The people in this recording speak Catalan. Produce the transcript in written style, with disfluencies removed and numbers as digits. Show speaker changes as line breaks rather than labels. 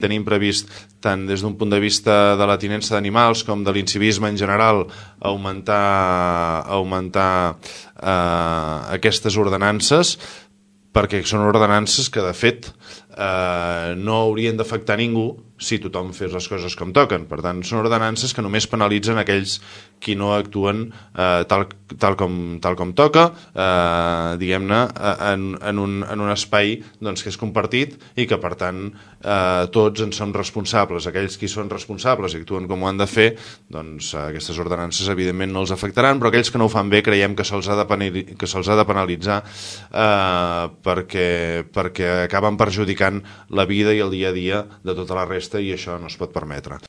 tenim previst, tant des d'un punt de vista de la tinença d'animals com de l'incivisme en general, augmentar aquestes ordenances, perquè són ordenances que, de fet, no haurien d'afectar ningú si tothom fes les coses com toquen. Per tant, són ordenances que només penalitzen aquells qui no actuen tal com toca, diguem-ne, en un espai que és compartit i que, per tant, tots en som responsables. Aquells qui són responsables i actuen com ho han de fer, doncs aquestes ordenances evidentment no els afectaran, però aquells que no ho fan bé creiem que se'ls ha de penalitzar perquè acaben perjudicant la vida i el dia a dia de tota la resta, i això no es pot permetre.